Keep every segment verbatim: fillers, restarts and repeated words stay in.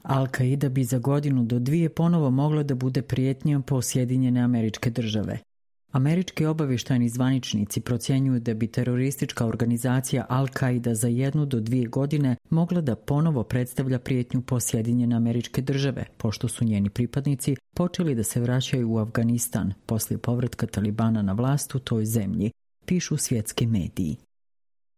Al-Qaida bi za godinu do dvije ponovo mogla da bude prijetnja po Sjedinjene Američke Države. Američki obavještajni zvaničnici procjenjuju da bi teroristička organizacija Al-Qaida za jednu do dvije godine mogla da ponovo predstavlja prijetnju po Sjedinjene Američke Države, pošto su njeni pripadnici počeli da se vraćaju u Afganistan poslije povratka Talibana na vlast u toj zemlji, pišu svjetski mediji.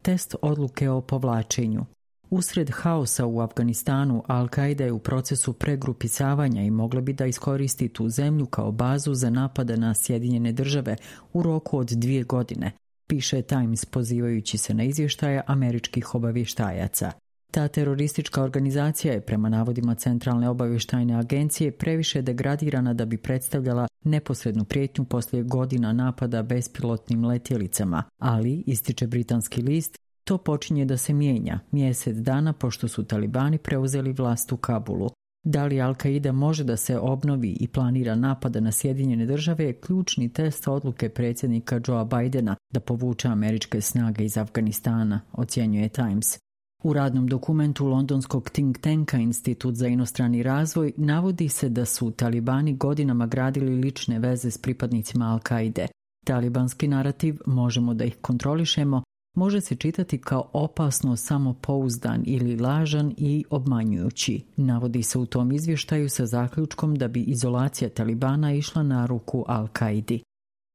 Test odluke o povlačenju. Usred haosa u Afganistanu, Al-Qaida je u procesu pregrupisavanja i mogla bi da iskoristi tu zemlju kao bazu za napada na Sjedinjene Države u roku od dvije godine, piše Times pozivajući se na izvještaje američkih obavještajaca. Ta teroristička organizacija je prema navodima Centralne obavještajne agencije previše degradirana da bi predstavljala neposrednu prijetnju poslije godina napada bespilotnim letjelicama, ali, ističe britanski list, to počinje da se mijenja mjesec dana pošto su Talibani preuzeli vlast u Kabulu. Da li Al-Qaida može da se obnovi i planira napada na Sjedinjene Države je ključni test odluke predsjednika Joea Bidena da povuče američke snage iz Afganistana, ocjenjuje Times. U radnom dokumentu londonskog think tanka Institut za inostrani razvoj navodi se da su Talibani godinama gradili lične veze s pripadnicima Al-Qaide. Talibanski narativ, možemo da ih kontrolišemo, može se čitati kao opasno samopouzdan ili lažan i obmanjujući. Navodi se u tom izvještaju sa zaključkom da bi izolacija Talibana išla na ruku Al-Qaidi.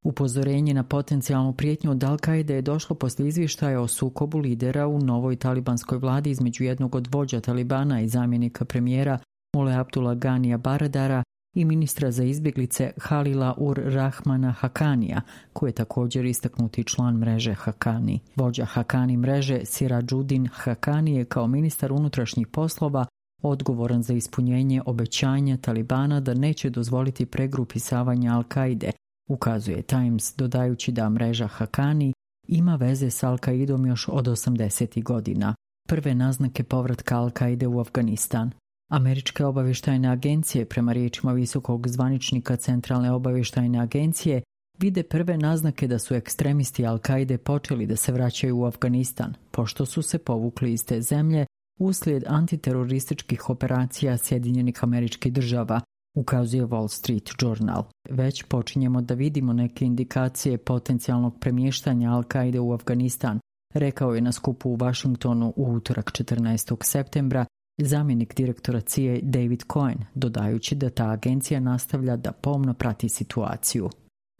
Upozorenje na potencijalnu prijetnju od Al-Qaide je došlo poslije izvještaja o sukobu lidera u novoj talibanskoj vladi između jednog od vođa Talibana i zamjenika premijera Mullah Abdullah Ganija Baradara i ministra za izbjeglice Halila ur Rahmana Hakanija, koji je također istaknuti član mreže Hakani. Vođa Hakani mreže Sirađudin Hakani je kao ministar unutrašnjih poslova odgovoran za ispunjenje obećanja Talibana da neće dozvoliti pregrupisavanje Al-Qaide, ukazuje Times, dodajući da mreža Hakani ima veze s Al-Qaidom još od osamdesetih godina. Prve naznake povratka Al-Qaide u Afganistan. Američke obavještajne agencije, prema riječima visokog zvaničnika Centralne obavještajne agencije, vide prve naznake da su ekstremisti Al-Qaide počeli da se vraćaju u Afganistan, pošto su se povukli iz te zemlje uslijed antiterorističkih operacija Sjedinjenih Američkih Država, ukazuje Wall Street Journal. Već počinjemo da vidimo neke indikacije potencijalnog premještanja Al-Qaide u Afganistan, rekao je na skupu u Washingtonu u utorak četrnaestog septembra zamjenik direktora C I A David Cohen, dodajući da ta agencija nastavlja da pomno prati situaciju.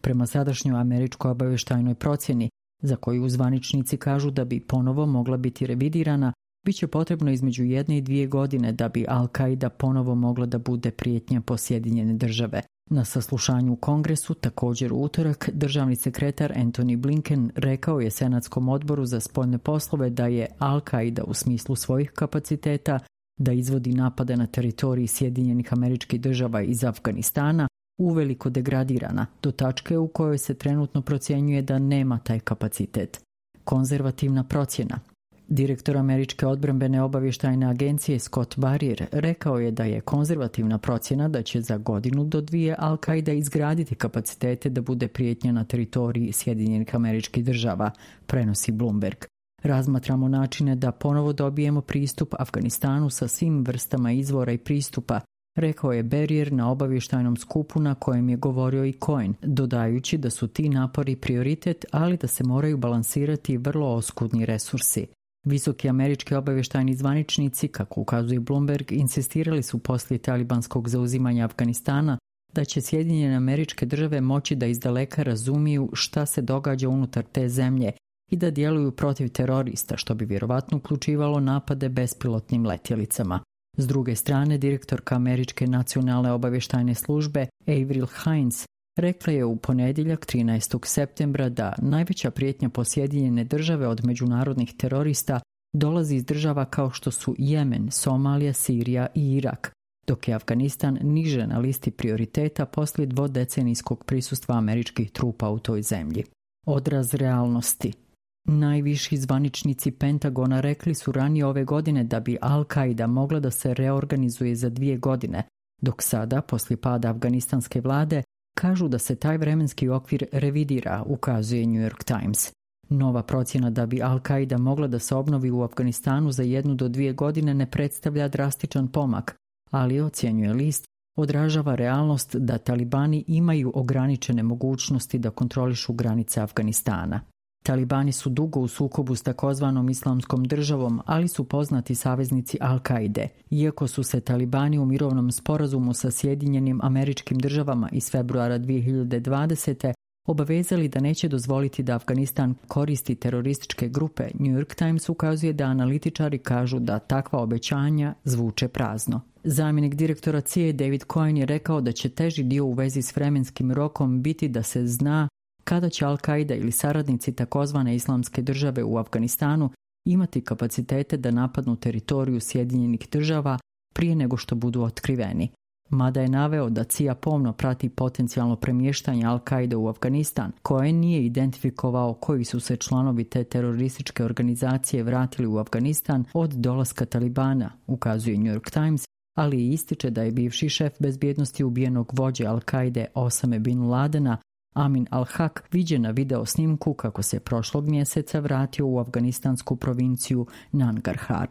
Prema sadašnjoj američkoj obavještajnoj procjeni, za koju zvaničnici kažu da bi ponovo mogla biti revidirana, bit će potrebno između jedne i dvije godine da bi Al-Qaida ponovo mogla da bude prijetnja po Sjedinjene Države. Na saslušanju u Kongresu, također u utorak, državni sekretar Antony Blinken rekao je Senatskom odboru za spoljne poslove da je Al-Qaida u smislu svojih kapaciteta da izvodi napade na teritoriji Sjedinjenih Američkih Država iz Afganistana uveliko degradirana do tačke u kojoj se trenutno procjenjuje da nema taj kapacitet. Konzervativna procjena. Direktor Američke odbrambene obavještajne agencije Scott Barrier rekao je da je konzervativna procjena da će za godinu do dvije Al-Qaida izgraditi kapacitete da bude prijetnja na teritoriji Sjedinjenih Američkih Država, prenosi Bloomberg. Razmatramo načine da ponovo dobijemo pristup Afganistanu sa svim vrstama izvora i pristupa, rekao je Barrier na obavještajnom skupu na kojem je govorio i Cohen, dodajući da su ti napori prioritet, ali da se moraju balansirati vrlo oskudni resursi. Visoki američki obavještajni zvaničnici, kako ukazuje Bloomberg, insistirali su poslije talibanskog zauzimanja Afganistana da će Sjedinjene Američke Države moći da izdaleka razumiju šta se događa unutar te zemlje i da djeluju protiv terorista, što bi vjerovatno uključivalo napade bespilotnim letjelicama. S druge strane, direktorka Američke nacionalne obavještajne službe Avril Haines rekla je u ponedjeljak trinaestog septembra da najveća prijetnja po Sjedinjene Države od međunarodnih terorista dolazi iz država kao što su Jemen, Somalija, Sirija i Irak, dok je Afganistan niže na listi prioriteta poslije dvodecenijskog prisustva američkih trupa u toj zemlji. Odraz realnosti. Najviši zvaničnici Pentagona rekli su ranije ove godine da bi Al-Qaida mogla da se reorganizuje za dvije godine, dok sada, poslije pada afganistanske vlade, kažu da se taj vremenski okvir revidira, ukazuje New York Times. Nova procjena da bi Al-Qaida mogla da se obnovi u Afganistanu za jednu do dvije godine ne predstavlja drastičan pomak, ali ocjenjuje list, odražava realnost da talibani imaju ograničene mogućnosti da kontrolišu granice Afganistana. Talibani su dugo u sukobu s takozvanom islamskom državom, ali su poznati saveznici Al-Kaide. Iako su se talibani u mirovnom sporazumu sa Sjedinjenim Američkim Državama iz februara dvije hiljade dvadesete obavezali da neće dozvoliti da Afganistan koristi terorističke grupe, New York Times ukazuje da analitičari kažu da takva obećanja zvuče prazno. Zamjenik direktora C I A David Cohen je rekao da će teži dio u vezi s vremenskim rokom biti da se zna kada će Al-Kaida ili saradnici takozvane islamske države u Afganistanu imati kapacitete da napadnu teritoriju Sjedinjenih država prije nego što budu otkriveni. Mada je naveo da C I A pomno prati potencijalno premještanje Al-Kaide u Afganistan, koje nije identifikovao koji su se članovi te terorističke organizacije vratili u Afganistan od dolaska Talibana, ukazuje New York Times, ali ističe da je bivši šef bezbjednosti ubijenog vođe Al-Kaide Osame bin Ladena, Amin al-Haq, viđen na video snimku kako se prošlog mjeseca vratio u afganistansku provinciju Nangarhar.